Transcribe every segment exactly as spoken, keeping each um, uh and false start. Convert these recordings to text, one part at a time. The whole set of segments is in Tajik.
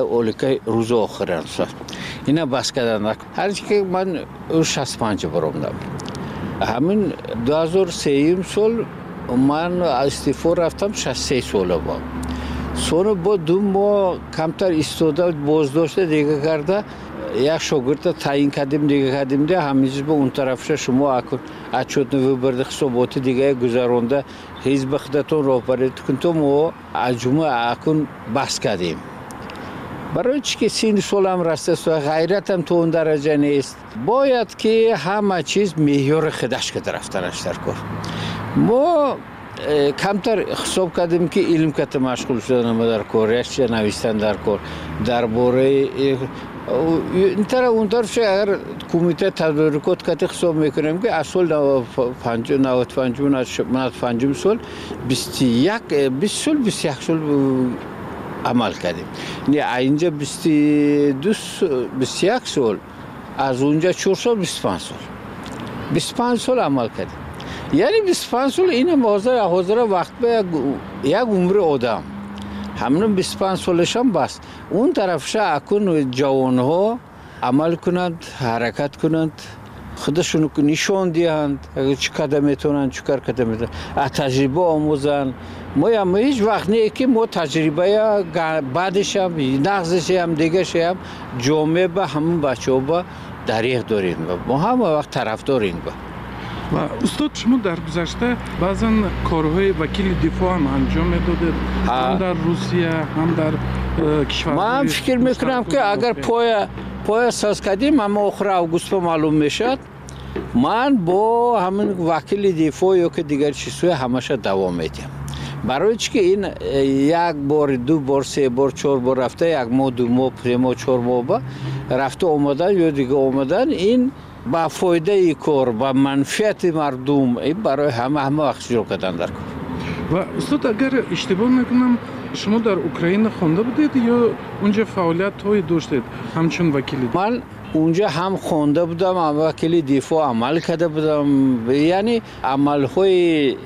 Оликаи рӯзи охиран ина бас кардан. Ҳарчи ки ман шасту панҷ баромадам. Ҳамин ду ҳазору сеюм сол ман истеъфо рафтам, шасту се сола будам. Сони бо ду моҳ камтар истода боздошта дига карда, як шогирда таъин кардем, дига кардем, де ҳамин бо он тарафша шумо отчётный выборы, ҳисоботи дига гузаронда, ҳизби худатон роҳбарӣ кунто. Мо аз ҷумъа акун бас кардем. Барои чӣ ки синну солам растааст, ғайратам то он дараҷа нест. Бояд ки ҳама чиз меъёри худаш када рафтанаш дар кор. Мо э, камтар ҳисоб кардем, ки илм ката машғул шуданам дар кор, як чиза навистан дар кор дар бораи э, интара унтар. Агар кумитаи тадорукот кати ҳисоб мекунем, ки аз соли наваду панҷум сол бисту як, э, бист сол, бисту як сол амал кардем. Не, инҷа бисту ду, бисту як сол, аз унҷа чор сол, бисту панҷ сол, бисту панҷ сол амал кардем. Яъне бисту панҷ сол ина ҳозир ҳозира вақт ба як умри одам ҳамин бисту панҷ солашам бас. Он тарафша акун ҷавонҳо амал кунанд, ҳаракат кунанд, худашон нишон диҳанд, чӣ карда метавонанд, чӣ кор карда метавонанд, аз таҷриба омӯзанд. Моям ҳеҷ вақт не ки мо таҷрибая баъдешам, нағзашам, дигашам ҷомеа ба ҳамон бачаҳо ба дареғ дорем. Мо ҳама вақт тарафдорем ба. Ва устод, шумо дар гузашта баъзан корҳои вакили дифоъ ҳам анҷом медодед, ҳам дар Русия, ҳам дар э, кишварҳои Ман фикр мекунам, ки агар поя поя соз кардем, ҳама охири август ба маълум мешавад. Ман бо ҳамин вакили дифоъ ё ки дигар чизҳои ҳамаша давом медиҳам. Барои чӣ ки ин э, як бор, ду бор, се бор, чор бор рафта, як моҳ, ду моҳ, се моҳ, чор моҳ ба рафта омадан ё дига омадан, ин ба фоидаи кор, ба манфиати мардум, ин барои ҳама ҳама вақт иҷро кардан дар кор. Ва устод, агар иштибоҳ накунам, шумо дар Украина хонда будед ё унҷа фаъолиятҳое доштед ҳамчун вакили? Ман унҷа ҳам хонда будам, ҳам вакили дифоъ амал карда будам. Яъне амалҳои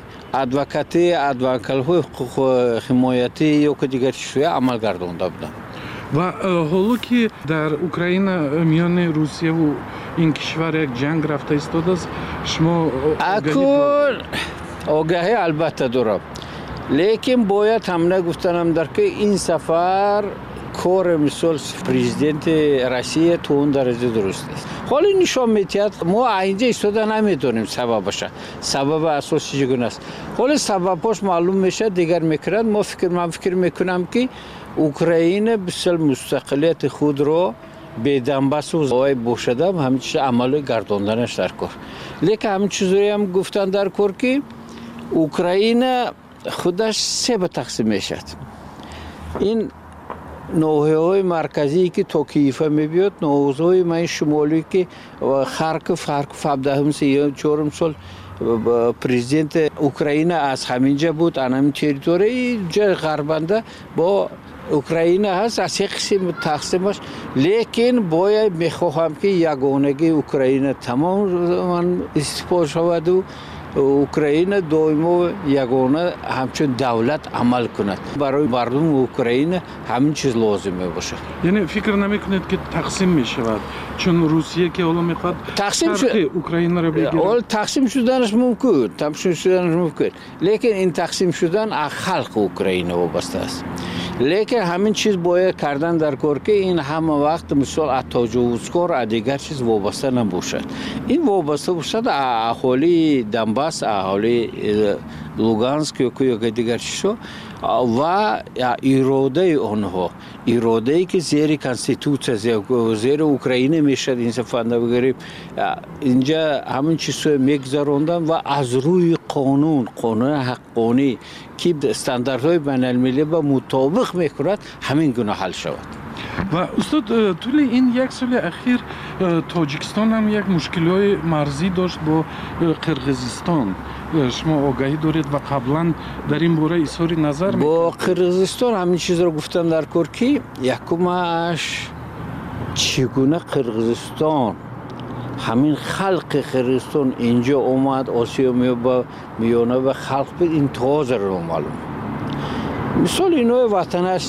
адвокатӣ, адвокатҳои ҳимоятӣ ё ки дигар чизҳоя амал гардонда будам. Ва э, ҳоло ки дар Украина э, миёни Русияву ин кишвар як ҷанг рафта истодааст, шумо э, акун огаҳӣ албатта дорам, лекин бояд ҳамна гуфтанам дар ки ин сафар кори мисол президенти Россия то он дараҷа дуруст нест. Ҳоло нишон медиҳад, мо инҷа истода намедонем сабабаша, сабаби асоси чӣ гуна аст. Ҳоло сабабҳош маълум мешавад, дигар мекунад. Мо фикр ман фикр мекунам, ки Украина бисёр мустақилияти худро бе Донбассу ой бошадам, ҳамин чиз амали гардонданаш дар кор. Лекин ҳамин чизоям гуфтан дар кор, ки Украина худаш се ба тақсим мешавад. Ин ноҳияҳои марказие, ки то Киева мебиёд, ноҳияҳои ман шумолӣ, ки Харков, Харков ҳабдаҳум чорум сол президенти Украина аз ҳаминҷа буд, анамин территория ҷа ғарбанда бо Украина ҳаст, аз се қисм тақсимаш. Лекин бояд мехоҳам, ки ягонагии Украина тамоман истифода шаваду Украина доимо ягона ҳамчун давлат амал кунад. Барои мардуми Украина ҳамин чиз лозим мебошад. Яъне фикр намекунед, ки тақсим мешавад, чун Русия ки ҳоло мехоҳад тақсим Украинаро бигирад? Тақсим шуданаш мумкин, тақсим шуданаш мумкин, лекин ин тақсим шудан аз халқи Украина вобаста аст. Лекин ҳамин чиз бояд кардан дар кор, ки ин ҳама вақт мисол аз таҷовузкор, аз дигар чиз вобаста набошад. Ин вобаста бошад аҳолии Донбасс, аҳолии э, Луганск ё дигар чизҳо ва иродаи онҳо, иродае ки зери конститутсия, зери Украина мешавад. Инсофанда бигирем, инҷа ҳамин чизҳое мегузаронданд ва аз рӯи қонун, қонуни ҳаққонӣ, ки стандартҳои байналмилалӣ ба мутобиқ мекунад, ҳамин гуна ҳал шавад. Ва устод, э, тӯли ин як соли ахир э, Тоҷикистон ҳам як мушкилиҳои марзӣ дошт бо э, Қирғизистон. Шумо огаҳӣ доред ва қаблан дар ин бора изҳори назар? Бо Қирғизистон ҳамин чизро гуфтам дар кор, ки якумаш чӣ гуна Қирғизистон, ҳамин халқи Қирғизистон инҷо омад, Осиё Миёна ба халқ буд, ин то ҳозир номаълум. Мисол, инои ватанаш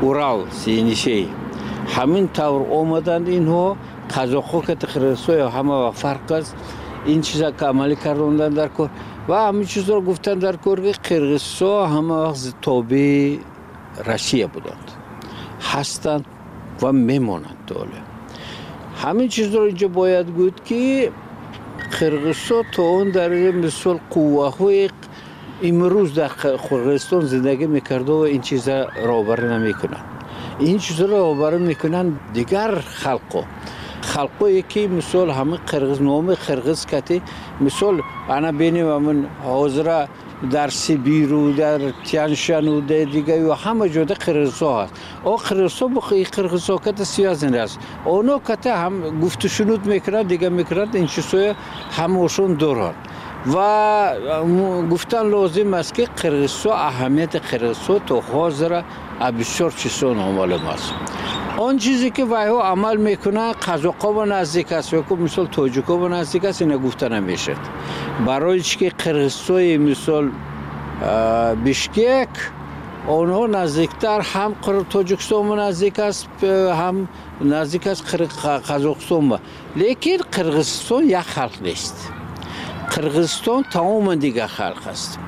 Урал, Енисей. Ҳамин тавр омаданд инҳо, қазоқҳо ки қирғизҳо ҳама вақт фарқ аст. Ин чиза ки амалӣ кардонданд дар кор ва ҳамин чизро гуфтанд дар кор, ки қирғизҳо ҳама вақт тобеи Россия буданд, ҳастанд ва мемонанд то ҳоло. Ҳамин чизро инҷо бояд гуфт, ки қирғизҳо то он дараҷа, мисол, қувваҳои имрӯз дар Қирғизистон зиндагӣ мекарда ва ин чиза роҳбарӣ намекунанд. Ин чизро роҳбарӣ мекунанд дигар халқҳо, халқҳое ки, мисол, ҳамин қирғиз, номи қирғиз кати, мисол, ана бинем, ҳамин ҳозира дар Сибиру, дар Тяншану, дар дигар ҳама ҷода қирғизҳо ҳаст. О қирғизҳо бо қирғизҳо ката связан аст, оно ката ҳам гуфтушунуд мекунанд, дигар мекунанд, ин чизҳоя ҳамашон доранд. Ва гуфтан лозим аст, ки қирғизҳо, аҳамияти қирғизҳо то ҳозира аз бисёр чизҳо номаълум аст. Он чизе ки вайҳо амал мекунанд, қазоқҳо ба наздик аст ё мисол тоҷикҳо ба наздик аст, ина гуфта намешавад. Барои чи ки қирғизҳои, мисол, Бишкек, онҳо наздиктар ҳам Тоҷикистон ба наздик аст, ҳам наздик аст Қазоқистон ба. Лекин Қирғизистон як халқ нест, Қирғизистон тамоман дигар халқ аст.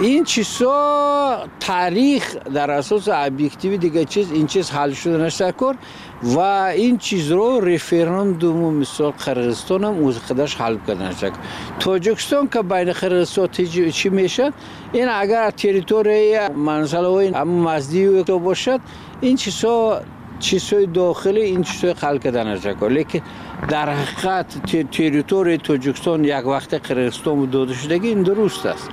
Ин чизҳо таърих дар асоси объективи дигар чиз, ин чиз ҳал шуда нашуда кор ва ин чизро референдуму, мисол, Қирғизистонам ӯзи худаш ҳал карда нашуда. Тоҷикистон ки байни қирғизҳо чӣ мешавад, ин агар территорияи масъалаҳои маздию бошад, ин чизҳо чизҳои дохилӣ, ин чизҳои ҳал карда нашуда кор. Лекин дар ҳақиқат территорияи Тоҷикистон як вақте Қирғизистон дода шудагӣ, ин дуруст аст.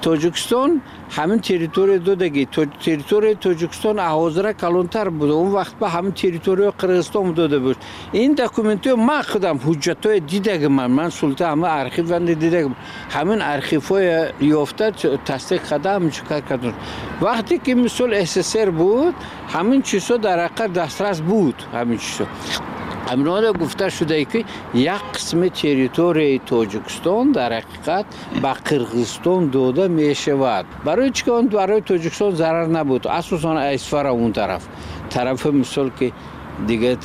Тоҷикистон ҳамин территория додагӣ, территорияи Тоҷикистон ҳозира калонтар буд, он вақт ба ҳамин территория Қирғизистон дода буд. Ин документҳо ман худам ҳуҷҷатҳои дидагиман, ман султа ҳама архиванда дидагим, ҳамин архивҳои ёфта тасдиқ карда, ҳамин чӣ кар кардам. Вақте ки, мисол, С С С Р буд, ҳамин чизҳо дар ҳақиқат дастрас буд. Ҳамин чизҳо ҳаминода гуфта шуда, ки як қисми территорияи Тоҷикистон дар ҳақиқат ба Қирғизистон дода мешавад. Барои чӣ ки он барои Тоҷикистон зарар набуд, асосан Исфара, он тараф, тарафи, мисол, ки дига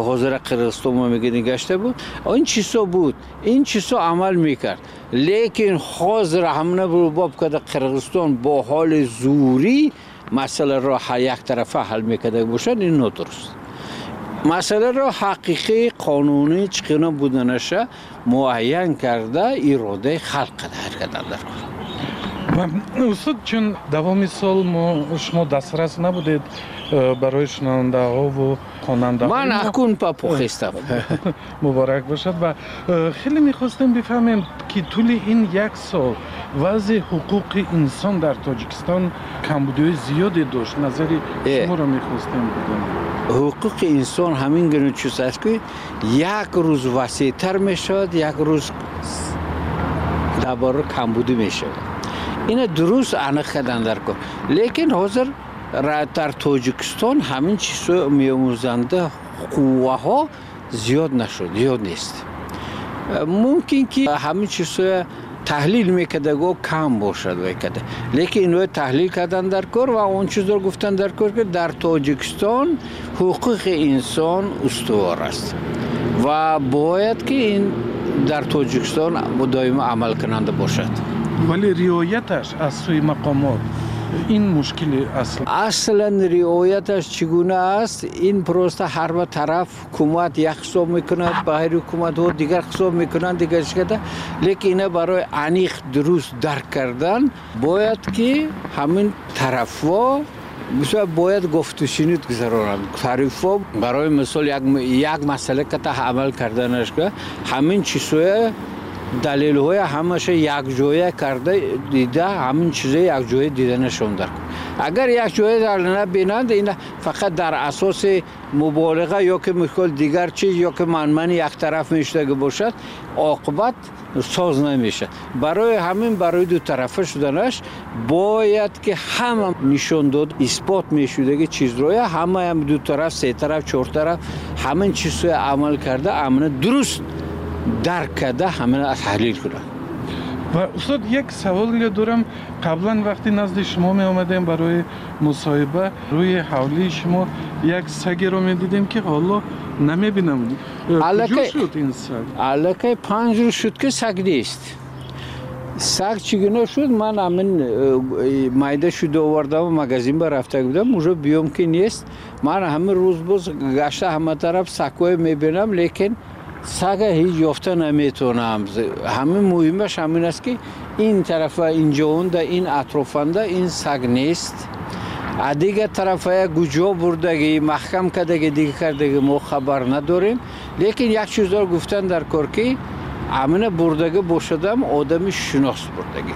ҳозира Қирғизистон мо мегӯем, гашта буд, ин чизҳо буд, ин чизҳо амал мекард. Лекин ҳозир ҳамина боб карда, Қирғизистон бо ҳоли зӯрӣ масъаларо яктарафа ҳал мекарда бошад, ин нодуруст. Масъаларо ҳақиқӣ, қонунӣ чӣ гуна буданаша муайян карда, иродаи халқ ҳал кардан дар кор. Устод, чун давоми сол мо шумо дастрас набудед э, барои шунавандаҳову хонандаҳо. Ман акун папухестам. Муборак бошад. Ва э, хеле мехостем бифаҳмем, ки тӯли ин як сол вазъи ҳуқуқи инсон дар Тоҷикистон камбудиҳои зиёде дошт, назари э. шуморо мехостем бидонем. Ҳуқуқи инсон ҳамин гуна чиз аст, ки як рӯз васеътар мешавад, як рӯз дар бораи камбудӣ мешавад. Ина дуруст аниқ кардан дар кор. Лекин ҳозир дар Тоҷикистон ҳамин чизҳо меомӯзанда қувваҳо зиёд нашуд, зиёд нест. Мумкин ки ҳамин чизҳоя таҳлил мекардаго кам бошад вайкарда, лекин инҳоя таҳлил кардан дар кор ва он чизро гуфтан дар кор, ки дар Тоҷикистон ҳуқуқи инсон устувор аст ва бояд ки ин дар Тоҷикистон доимо амалкунанда бошад. Вале риояташ аз сӯи мақомот, ин мушкили асл. Аслан риояташ чӣ гуна аст, ин просто ҳар ба тараф ҳукумат як ҳисоб мекунад, ба ғайри ҳукуматҳо дигар ҳисоб мекунанд, дигар чӣ карда. Лекин ина барои аниқ, дуруст дарк кардан бояд ки ҳамин тарафҳо бисёр бояд гуфтушунид гузаронанд. Тарифҳо барои мисол як масъала ката амал карданаш, ҳамин чизҳоя, далелҳоя ҳамаша якҷоя карда дида, ҳамин чизоя якҷоя диданашон дар. Агар якҷоя дар набинанд, ин фақат дар асоси муболиға ё ки мисол дигар чиз, ё ки манмани яктараф мешудаги бошад, оқибат соз намешавад. Барои ҳамин, барои дутарафа шуданаш бояд ки ҳама нишондод, исбот мешудаги чизроя ҳамаям ду тараф, се тараф, чор тараф ҳамин чизҳоя амал карда, амина дуруст дарк карда, ҳамина таҳлил кунанд. Ва устод, як саволе дорам. Қаблан вақте назди шумо меомадем барои мусоҳиба, рӯи ҳавлии шумо як сагеро медидем, ки ҳоло намебинам. Куҷо шуд ин саг? Аллакай панҷ рӯз шуд, ки саг нест. Саг чӣ гуна шуд? Ман ҳамин майда шуда овардам, магазин ба рафта будам, уже биём ки нест. Ман ҳамин рӯз боз гашта ҳама тараф сагҳое мебинам, лекин сага ҳеҷ ёфта наметавонам. Ҳамин муҳимаш ҳамин аст, ки ин тарафа, инҷоунда, ин атрофанда ин саг нест. А дигар тарафая куҷо бурдагӣ, маҳкам кардагӣ, дигар кардагӣ мо хабар надорем. Лекин як чиздор гуфтан дар кор, ки амина бурдагӣ бошадам, одами шинос бурдагӣ.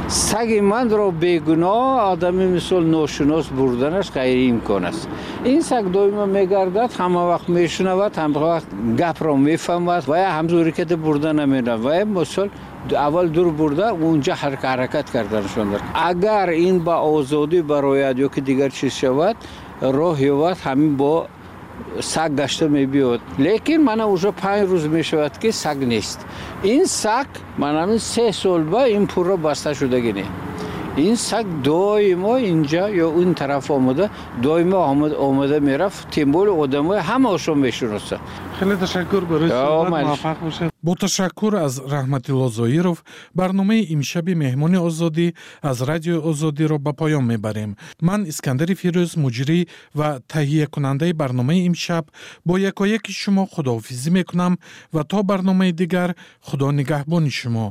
Саги манро бегуноҳ одами мисол ношинос бурданаш ғайриимкон аст. Ин саг доимо мегардад, ҳама вақт мешунавад, ҳама вақт гапро мефаҳмад ва ҳамзӯрӣ карда бурда намедонад. Ва мисол аввал дур бурда унҷа ҳаракат карданашон. Агар ин ба озодӣ барояд ё ки дигар чиз шавад, роҳ ёбад, ҳамин бо саг гашта мебиёд. Лекин мана уже панҷ рӯз мешавад, ки саг нест. Ин саг ман ҳамин се сол ба ин пурра баста шудагӣ не. Ин саг доимо инҷа ё ин тараф омада, доимо омада мерафт, тем более одамои ҳамаашон мешиносад. Хеле ташаккур барои суҳбат, муваффақ бошед. Бо ташаккур аз Раҳматилло Зоиров барномаи имшаби меҳмони озодӣ аз радиои Озодиро ба поён мебарем. Ман Искандари Фирӯз, муҷрӣ ва таҳиякунандаи барномаи имшаб, бо якояки шумо худоҳофизӣ мекунам ва то барномаи дигар Худо нигаҳбони шумо.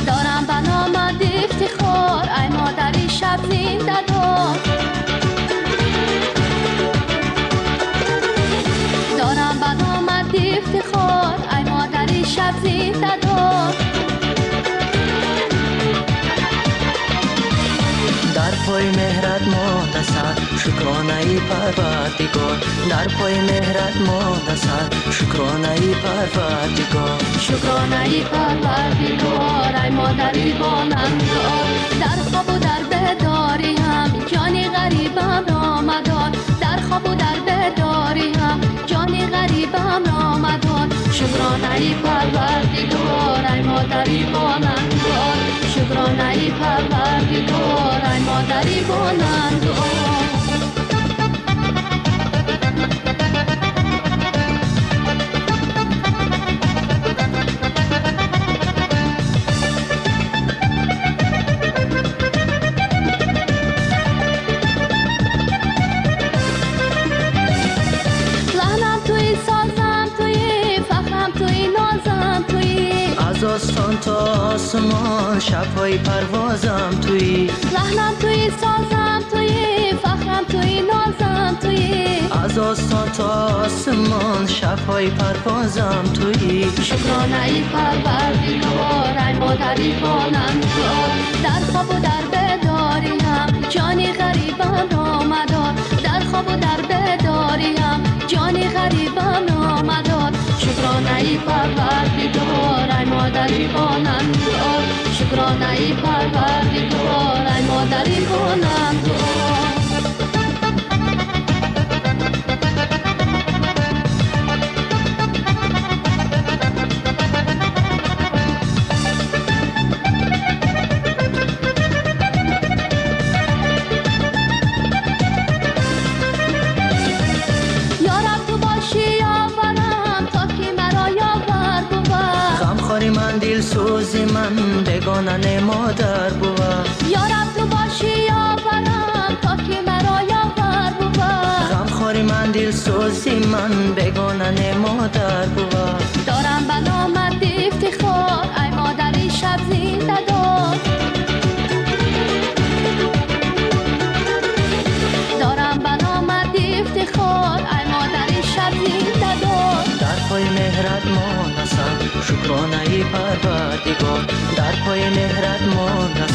Дорам ба номат ифтихор, ай модари шаб зиндадор. Дорам ба номат ифтихор, ай модари шаб зиндадор. Дар пои меҳрат монда сар, шукронаи Парвардигор. Дар пои меҳрат монда сар, шукронаи Парвардигор. Шукронаи Парвардигор, ай модари бонангор. Дар хобу дар бедорӣ ҳам ҷони ғарибам ро мадор. Дар хобу дар бедорӣ ҳам ҷони ғарибам ро мадор. Шукронаи Парвардигор, ай модари бонангор. Шукронаи Парвардигор, ай модари бонангор. از آستان تا آسمان شب‌های پروازم تویی. لحنم تویی، سازم تویی، فخرم تویی، نازم تویی. از آستان تا آسمان شب‌های پروازم تویی. شکرانه‌ای پروردگار، ای مادری بانندگار. در خواب و در بیداری هم جانی غریبم را مدار. در خواب و در بیداری هم جانی غریبم را مدار. شکرانه‌ای پروردگار، ای مادری بانندگار. شکرانه‌ای پروردگار، ای مادری بانندگار. دلسوزی من بگانه مادر بود. یارم تو باشی یاورم تا که مرا یاور بود. غمخواری من دلسوزی من بگانه مادر بود. دارم به نامت افتخار، ای مادری شب زنده دار. دارم به نامت افتخار، ای مادری شب زنده دار. در پای مهرت ماندم شکرانه‌ای پروردگار. در پای مهرت ماندم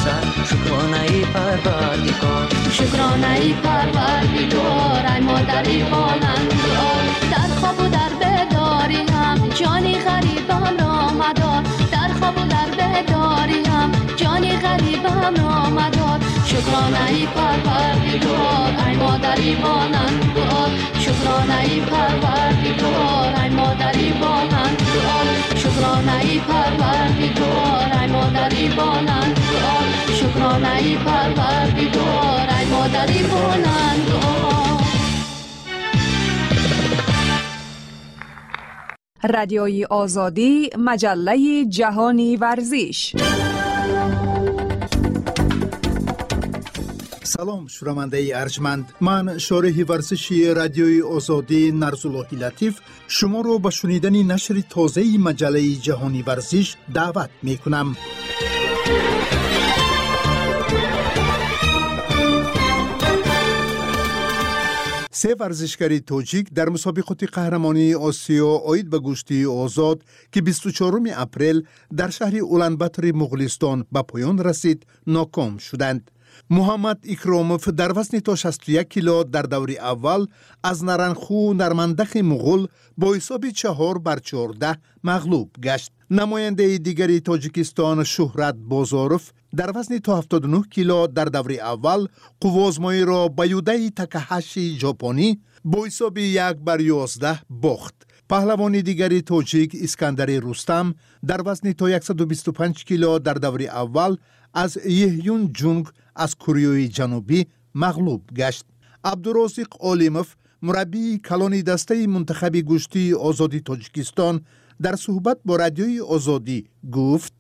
شکرانه‌ای پروردگار. شکرانه‌ای پروردگار، ای مادری بانندگار. در خواب و در بیداری هم جانی غریبم را مدار. در خواب و در بیداری هم جانی غریبم را مدار. شکرانه پروردگار ای مادری مانند دعا شکرانه پروردگار ای مادری مانند دعا شکرانه پروردگار ای مادری مانند دعا شکرانه پروردگار ای مادری مانند دعا. رادیوی آزادی، مجله جهانی ورزش. Салом, шунавандаи арҷманд. Ман шореҳи варзиши радиои Озодӣ Нарзуллоҳи Латиф шуморо ба шунидани нашри тозаи маҷаллаи ҷаҳони варзиш даъват мекунам. Се варзишгари тоҷик дар мусобиқоти қаҳрамонии Осиё оид ба гӯштии озод, ки бисту чоруми апрел дар шаҳри Уланбатори Муғулистон ба поён расид, ноком шуданд. Муҳаммад Икромов дар вазни то шасту як кило дар даври аввал аз Наранху Нармандахи муғул бо ҳисоби чаҳор бар чордаҳ мағлуб гашт. Намояндаи дигари Тоҷикистон Шуҳрат Бозоров дар вазни то ҳафтоду нӯҳ кило дар даври аввал қуввозмоиро ба Юдаи Такахаши ҷопонӣ бо ҳисоби як бар ёздаҳ бохт. Паҳлавони дигари тоҷик Искандари Рустам дар вазни то яксаду бисту панҷ кило дар даври аввал аз Еҳюн Ҷунг аз Кореяи Ҷанубӣ мағлуб гашт. Абдурозиқ Олимов, мураббии калони дастаи мунтахаби гӯштии озоди Тоҷикистон, дар суҳбат бо радиои Озодӣ гуфт: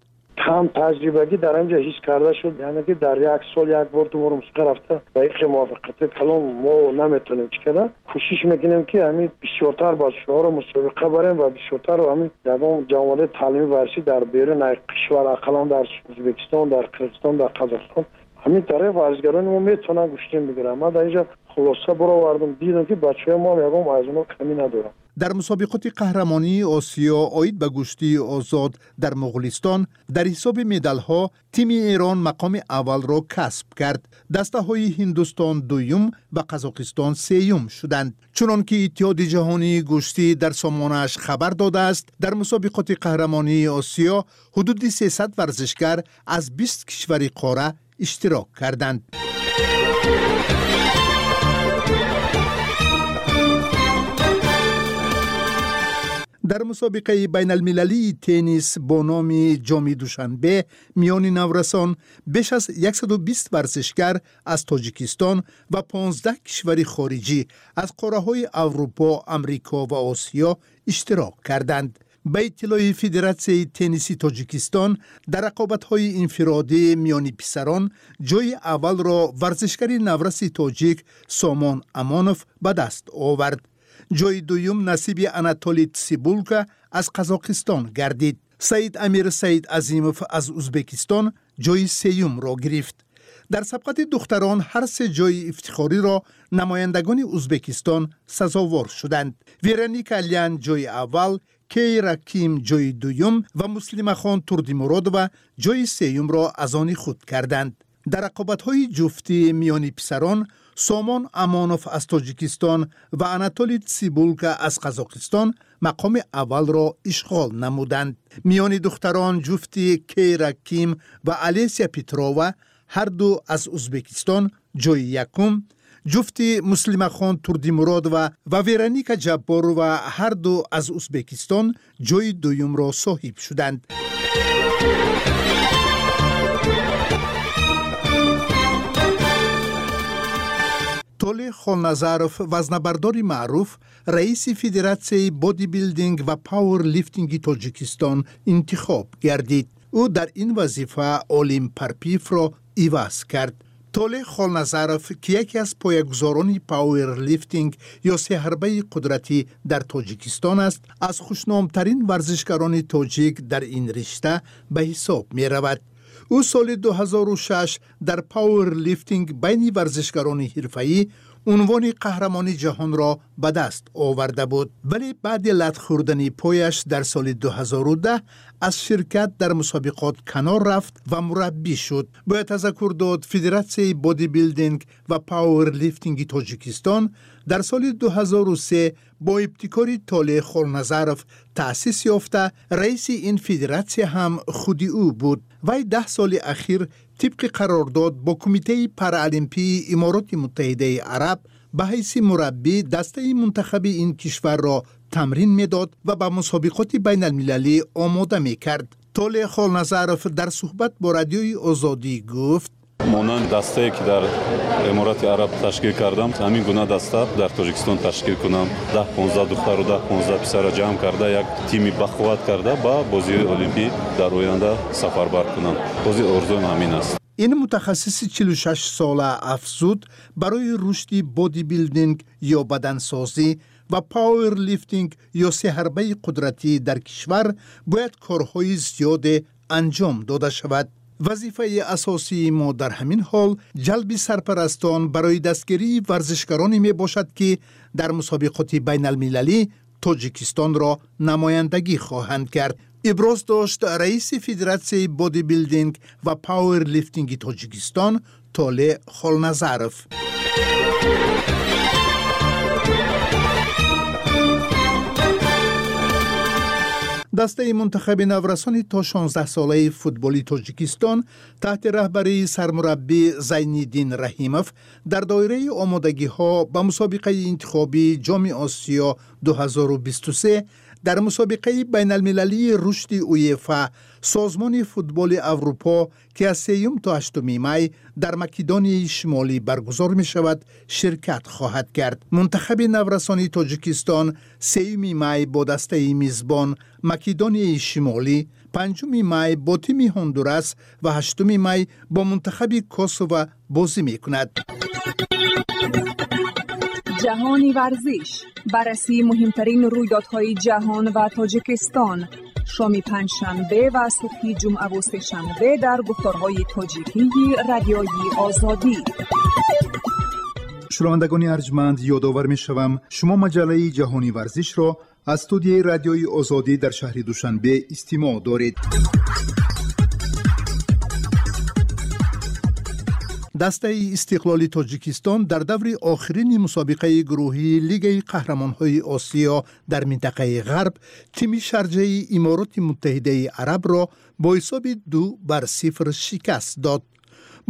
кам таҷрибагӣ дар инҷа ҳис карда шуд, яъне ки дар як сол як бор ду бор мусобиқа рафта ва ин муваффақияти калон мо наметавонем чӣ карда. Кӯшиш мекунем ки ҳамин бисёртар бачаҳоро мусобиқа барем ва бисёртар ҳамин ягон ҷавонони таълимӣ варзишӣ дар берун аз кишвар, ақаллан дар Ӯзбекистон, дар Қирғизистон, дар Қазоқистон ҳамин тариқ варзишгарони мо метавонанд гӯштин бигиранд. Ман дар инҷа хулоса баровардам, дидам ки бачаҳои мо ягон аз онҳо камӣ надоранд. Дар мусобиқоти қаҳрамонии Осиё оид ба гӯштии озод дар Муғулистон дар ҳисоби медалҳо тими Эрон мақоми аввалро касб кард. Дастаҳои Ҳиндустон дуюм ва Қазоқистон сеюм шуданд. Чунон ки Иттиҳоди ҷаҳонии гӯштӣ дар сомонааш хабар додааст, дар мусобиқоти қаҳрамонии Осиё ҳудуди сесад варзишгар аз бист кишвари қора иштирок карданд. Дар мусобиқаи байналмилалии теннис бо номи ҷоми Душанбе миёни наврасон беш аз яксаду бист варзишгар аз Тоҷикистон ва понздаҳ кишвари хориҷӣ аз қораҳои Аврупо, Амрико ва Осиё иштирок карданд. Ба иттилои Федератсияи тенниси Тоҷикистон дар рақобатҳои инфиродӣ миёни писарон ҷои аввалро варзишгари навраси тоҷик Сомон Амонов ба даст овард. Ҷои дуюм насиби Анатолий Цибулка аз Қазоқистон гардид. Саид Амир Саид Азимов аз Ӯзбекистон ҷои сеюмро гирифт. Дар сабқати духтарон ҳар се ҷои ифтихориро намояндагони Ӯзбекистон сазовор шуданд. Вероника Лян ҷои аввал, Кейра Ким ҷои дуюм ва Муслимахон Турдимуродова ҷои сеюмро аз они худ карданд. Дар рақобатҳои ҷуфтӣ миёни писарон Сомон Амонов аз Тоҷикистон ва Анатолий Цибулка аз Қазоқистон мақоми аввалро ишғол намуданд. Миёни духтарон ҷуфти Кейра Ким ва Алесия Петрова ҳар ду аз Ӯзбекистон ҷои якум, ҷуфти Муслимахон Турдимуродова ва Вероника Ҷабборова ҳар ду аз Ӯзбекистон ҷои дуюмро соҳиб шуданд. Толе Холназаров, вазнабардори маъруф, раиси Федератсияи бодибилдинг ва пауэрлифтинги Тоҷикистон интихоб гардид. Ӯ дар ин вазифа Олим Парпиевро иваз кард. Толе Холназаров, ки яке аз поягузорони пауэрлифтинг ё сеҳарбаи қудратӣ дар Тоҷикистон аст, аз хушномтарин варзишгарони тоҷик дар ин ришта ба ҳисоб меравад. Ӯ соли ду ҳазору шаш дар пауэрлифтинг байни варзишгарони ҳирфаӣ унвони қаҳрамони ҷаҳонро ба даст оварда буд, вале баъди лат хӯрдани пояш дар соли ду ҳазору даҳ аз ширкат дар мусобиқот канор рафт ва мураббӣ шуд. Бояд тазаккур дод, Федератсияи бодибилдинг ва пауэрлифтинги Тоҷикистон дар соли ду ҳазору се бо ибтикори Толе Холназаров таъсис ёфта, раиси ин федератсия ҳам худи ӯ буд. Вай даҳ соли ахир Тибқи қарордод бо Кумитаи Параолимпии Имороти Муттаҳидаи Араб ба ҳайси мураббӣ дастаи мунтахаби ин кишварро тамрин медод ва ба мусобиқоти байналмилалӣ омода мекард. Толеъ Холназаров дар суҳбат бо Радиои Озодӣ гуфт: Монанд дастае, ки дар Эморати Араб ташкил кардам, ҳамин гуна даста дар Тоҷикистон ташкил кунам. Даҳ понздаҳ духтару даҳ понздаҳ писарро ҷамъ карда, як тими бақувват карда, ба бозиҳои олимпӣ дар оянда сафарбар кунам. Бози орзуам ҳамин аст. Ин мутахассиси чилу шаш сола афзуд, барои рушди бодибилдинг ё бадансозӣ ва пауэрлифтинг ё сеҳарбаи қудратӣ дар кишвар бояд корҳои зиёде анҷом дода шавад. Вазифаи асосии мо дар ҳамин ҳол ҷалби сарпарастон барои дастгирии варзишгароне мебошад, ки дар мусобиқоти байналмилалӣ Тоҷикистонро намояндагӣ хоҳанд кард, иброз дошт раиси Федератсияи бодибилдинг ва пауэрлифтинги Тоҷикистон Толеъ Холназаров. Дастаи мунтахаби наврасони то шонздаҳсолаи футболи Тоҷикистон таҳти раҳбарии сармураббӣ Зайниддин Раҳимов дар доираи омодагиҳо ба мусобиқаи интихобии Ҷоми Осиё ду ҳазору бисту се дар мусобиқаи байналмилалии рушди УЕФА, Созмони футболи Аврупо, ки аз сеюм то ҳаштуми май дар Македонияи Шимолӣ баргузор мешавад, ширкат хоҳад кард. Мунтахаби наврасони Тоҷикистон сеюми май бо дастаи мизбон Македонияи Шимолӣ, панҷуми май бо тими Ҳондурас ва ҳаштуми май бо мунтахаби Косово бозӣ мекунад. Ҷаҳони варзиш, баррасии муҳимтарин рӯйдодҳои ҷаҳон ва Тоҷикистон, шоми панҷшанбе ва субҳи ҷумъаву сешанбе дар гуфторҳои тоҷикии Радиои Озодӣ. Шунавандагони арҷманд, ёдовар мешавам, шумо маҷаллаи Ҷаҳони варзишро аз студияи Радиои Озодӣ дар шаҳри Душанбе истимоъ доред. Дастаи Истиқлоли Тоҷикистон дар даври охирини мусобиқаи гурӯҳии Лигаи қаҳрамонҳои Осиё дар минтақаи Ғарб тими Шарҷаи Имороти Муттаҳидаи Арабро бо ҳисоби ду бар сифр шикаст дод.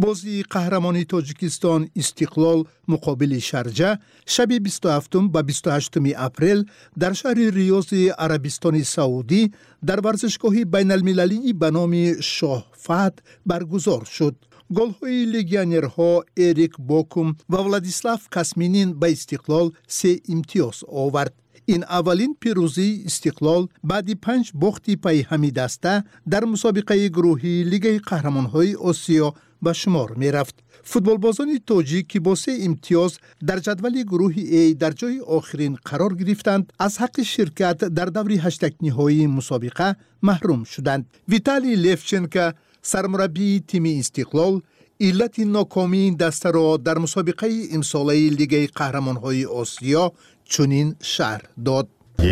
Бозии қаҳрамони Тоҷикистон Истиқлол муқобили Шарҷа шаби бисту ҳафтум ба бисту ҳаштуми апрел дар шаҳри Риёзи Арабистони Саудӣ дар варзишгоҳи байналмилалии ба номи Шоҳ Фаҳд баргузор шуд. Голҳои легионерҳо Эрик Бокум ва Владислав Касминин ба Истиқлол се имтиёз овард. Ин аввалин пирӯзии Истиқлол баъди панҷ бохти пайҳами даста дар мусобиқаи гурӯҳии Лигаи қаҳрамонҳои Осиё ба шумор мерафт. Футболбозони тоҷик, ки бо се имтиёз дар ҷадвали гурӯҳи Э дар ҷои охирин қарор гирифтанд, аз ҳаққи ширкат дар даври ҳаштякниҳоии мусобиқа маҳрум шуданд. Виталий Левченко, сармураббии тими Истиқлол, иллати нокомии ин дастаро дар мусобиқаи имсолаи Лигаи қаҳрамонҳои Осиё чунин шарҳ дод: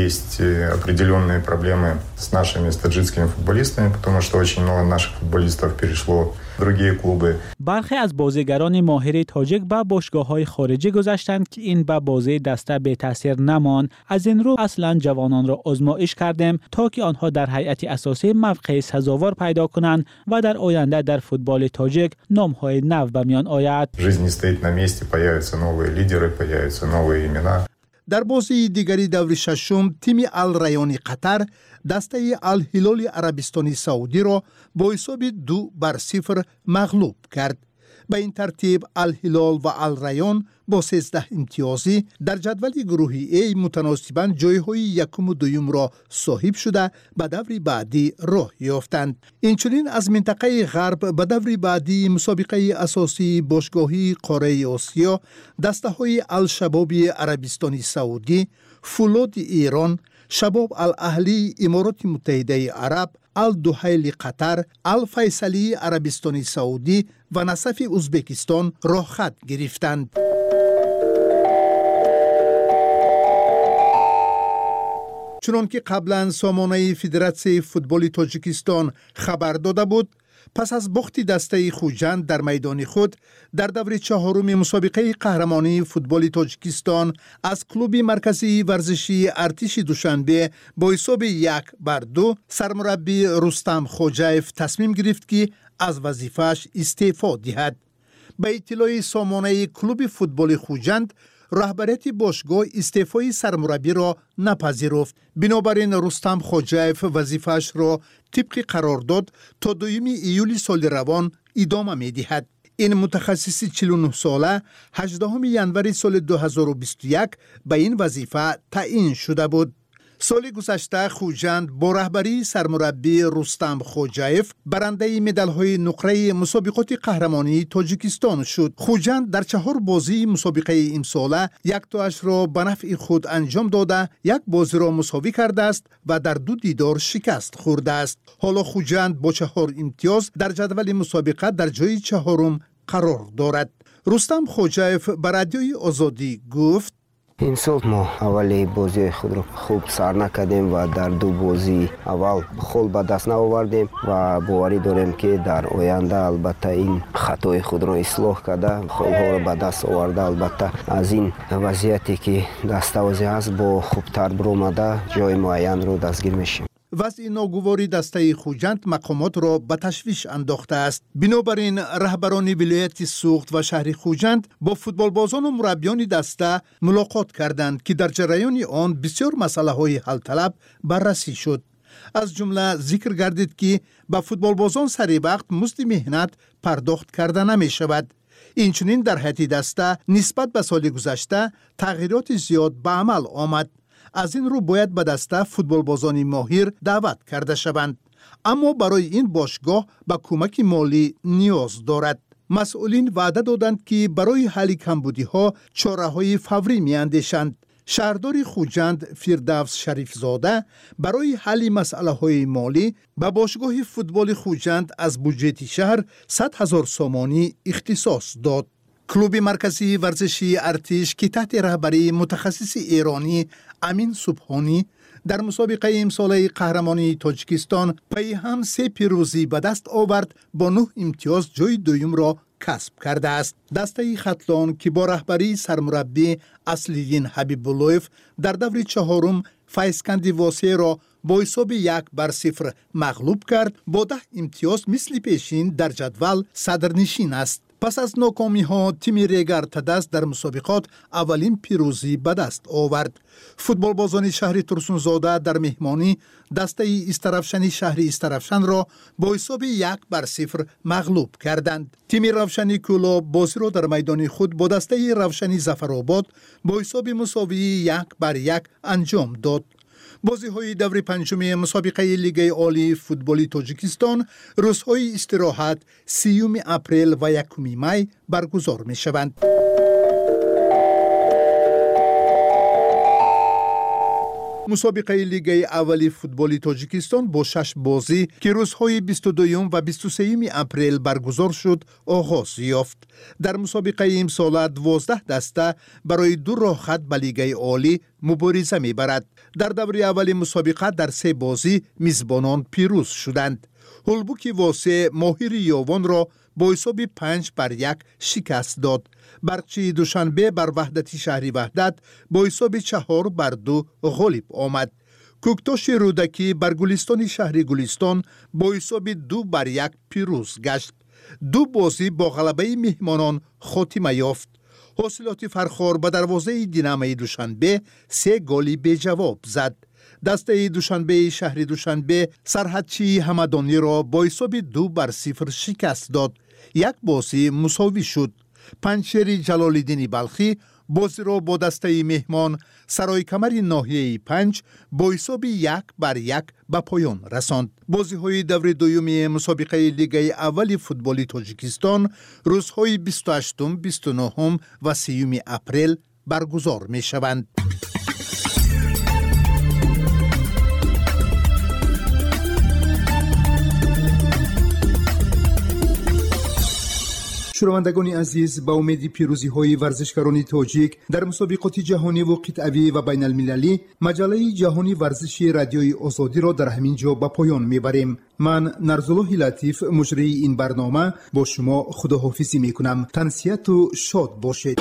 Есть э, определенные проблемы с нашими, с таджикскими футболистами, потому что очень много наших футболистов перешло в другие клубы. Бархе аз бозигарони моҳири тоҷик ба бошгоҳҳои хориҷӣ гузаштанд, ки ин ба бозии даста бетаъсир намонд. Аз ин рӯ аслан ҷавононро озмоиш кардем, то ки онҳо дар ҳайати асосӣ мавқеи сазовор пайдо кунанд ва дар оянда дар футболи тоҷик номҳои нав ба миён ояд. Жизнь не стоит на месте, появятся новые лидеры, появятся новые имена. Дар бозии дигари даври шашум тими Алрайони Қатар дастаи Алҳилоли Арабистони Саудиро бо ҳисоби ду бар сифр мағлуб кард. Ба ин тартиб Алҳилол ва Алрайон бо сездаҳ имтиёзӣ дар ҷадвали гурӯҳи Э мутаносибан ҷойҳои якуму дуюмро соҳиб шуда, ба даври баъдӣ роҳ ёфтанд. Инчунин аз минтақаи Ғарб ба даври баъдии мусобиқаи асосии бошгоҳии қораи Осиё дастаҳои Алшабоби Арабистони Саудӣ, Фулоди Эрон, Шабоб Алаҳлии Имороти Муттаҳидаи Араб, Ал-Дуҳайли Қатар, Ал-Файсалии Арабистони Саудӣ ва Насафи Узбекистон роҳхат гирифтанд. Чунон ки қаблан сомонаи Федератсияи футболи Тоҷикистон хабар дода буд, Пас аз бохти дастаи Хуҷанд дар майдони худ дар даври чаҳоруми мусобиқаи қаҳрамонии футболи Тоҷикистон аз клуби марказии варзишии Артиши Душанбе бо ҳисоби як бар ду, сармураббӣ Рустам Хоҷаев тасмим гирифт, ки аз вазифааш истеъфо диҳад. Ба иттилои сомонаи клуби футболи Хуҷанд, роҳбарияти бошгоҳ истеъфои сармураббиро напазируфт. Бинобар ин Рустам Хоҷаев вазифаашро тибқи қарордод то дуюми июли соли равон идома медиҳад. Ин мутахассиси чилу нӯҳ сола ҳаждаҳуми январи соли ду ҳазору бисту як ба ин вазифа таъин шуда буд. Соли гузашта Хуҷанд бо раҳбарии сармураббӣ Рустам Хоҷаев барандаи медалҳои нуқраи мусобиқоти қаҳрамонии Тоҷикистон шуд. Хуҷанд дар чаҳор бозии мусобиқаи имсола яктоашро ба нафъи худ анҷом дода, як бозиро мусовӣ кардааст ва дар ду дидор шикаст хӯрдааст. Ҳоло Хуҷанд бо чаҳор имтиёз дар ҷадвали мусобиқа дар ҷои чаҳорум қарор дорад. Рустам Хоҷаев ба Радиои Озодӣ гуфт: Имсол мо аввали бозиҳои худро хуб сар накардем ва дар ду бозии аввал хол ба даст наовардем ва боварӣ дорем, ки дар оянда албатта ин хатои худро ислоҳ карда, холҳоро ба даст оварда, албатта аз ин вазъияте ки даста ҳозир ҳаст, бо хубтар биромада, ҷои муайянро дастгир мешавем. Вазъи ногувори дастаи Хуҷанд мақомотро ба ташвиш андохтааст. Бинобар ин раҳбарони вилояти Суғд ва шаҳри Хуҷанд бо футболбозону мураббиёни даста мулоқот карданд, ки дар ҷараёни он бисёр масъалаҳои ҳалталаб баррасӣ шуд. Аз ҷумла зикр гардид, ки ба футболбозон сари вақт музди меҳнат пардохт карда намешавад. Инчунин дар ҳайати даста нисбат ба соли гузашта тағйироти зиёд ба амал омад, аз ин рӯ бояд ба даста футболбозони моҳир даъват карда шаванд. Аммо барои ин бошгоҳ ба кӯмаки молӣ ниёз дорад. Масъулин ваъда доданд, ки барои ҳалли камбудиҳо чораҳои фаврӣ меандешанд. Шаҳрдори Хуҷанд Фирдавс Шарифзода барои ҳалли масъалаҳои молӣ ба бошгоҳи футболи Хуҷанд аз буҷети шаҳр сад ҳазор сомонӣ ихтисос дод. Клуби марказии варзишии Артиш, ки таҳти раҳбарии мутахассиси эронӣ Амин Субҳонӣ дар мусобиқаи имсолаи қаҳрамонии Тоҷикистон пайи ҳам се пирӯзӣ ба даст овард, бо нӯҳ имтиёз ҷои дуюмро касб кардааст. Дастаи Хатлон, ки бо раҳбарии сармураббӣ Аслиддин Ҳабибуллоев дар даври чаҳорум Файзканди Восеъро бо ҳисоби як бар сифр мағлуб кард, бо даҳ имтиёз мисли пешин дар ҷадвал садрнишин аст. Пас аз нокомиҳо тими Регар Тадаз дар мусобиқот аввалин пирӯзӣ ба даст овард. Футболбозони шаҳри Турсунзода дар меҳмонӣ дастаи Истаравшани шаҳри Истаравшанро бо ҳисоби як бар сифр мағлуб карданд. Тими Равшани Кӯлоб бозиро дар майдони худ бо дастаи Равшани Зафаробод бо ҳисоби мусовии як бар як анҷом дод. Бозиҳои даври панҷуми мусобиқаи Лигаи олии футболи Тоҷикистон рӯзҳои истироҳат, сиюми апрел ва якуми май баргузор мешаванд. Мусобиқаи Лигаи аввали футболи Тоҷикистон бо шаш бозӣ, ки рӯзҳои бисту дуюм ва бисту сеюми апрел баргузор шуд, оғоз ёфт. Дар мусобиқаи имсола дувоздаҳ даста барои ду роҳхат ба Лигаи олӣ мубориза мебарад. Дар даври аввали мусобиқа дар се бозӣ мизбонон пирӯз шуданд. Ҳулбуки Восеъ Моҳири Ёвонро бо ҳисоби панҷ бар як шикаст дод. Барқчии Душанбе бар Ваҳдати шаҳри Ваҳдат бо ҳисоби чаҳор бар ду ғолиб омад. Кӯктоши Рӯдакӣ бар Гулистони шаҳри Гулистон бо ҳисоби ду бар як пирӯз гашт. Ду бозӣ бо ғалабаи меҳмонон хотима ёфт. Ҳосилоти Фархор ба дарвозаи Динамои Душанбе се голи беҷавоб зад. Дастаи Душанбеи шаҳри Душанбе Сарҳадчии Ҳамадониро бо ҳисоби ду бар сифр шикаст дод. Як бозӣ мусовӣ шуд. Панҷшери Ҷалолиддини Балхӣ бозиро бо дастаи меҳмон Саройкамари ноҳияи Панҷ бо ҳисоби як бар як ба поён расонд. Бозиҳои даври дуюми мусобиқаи Лигаи аввали футболи Тоҷикистон рӯзҳои бисту ҳаштум, бисту нуҳум ва сиюми апрел баргузор мешаванд. Шунавандагони азиз, ба умеди пирӯзиҳои варзишгарони тоҷик дар мусобиқоти ҷаҳониву қитъавӣ ва байналмилалӣ, маҷаллаи ҷаҳони варзиши Радиои Озодиро дар ҳамин ҷо ба поён мебарем. Ман Нарзуллоҳи Латиф, муҷрии ин барнома, бо шумо худоҳофизӣ мекунам. Тансиҳату шод бошед.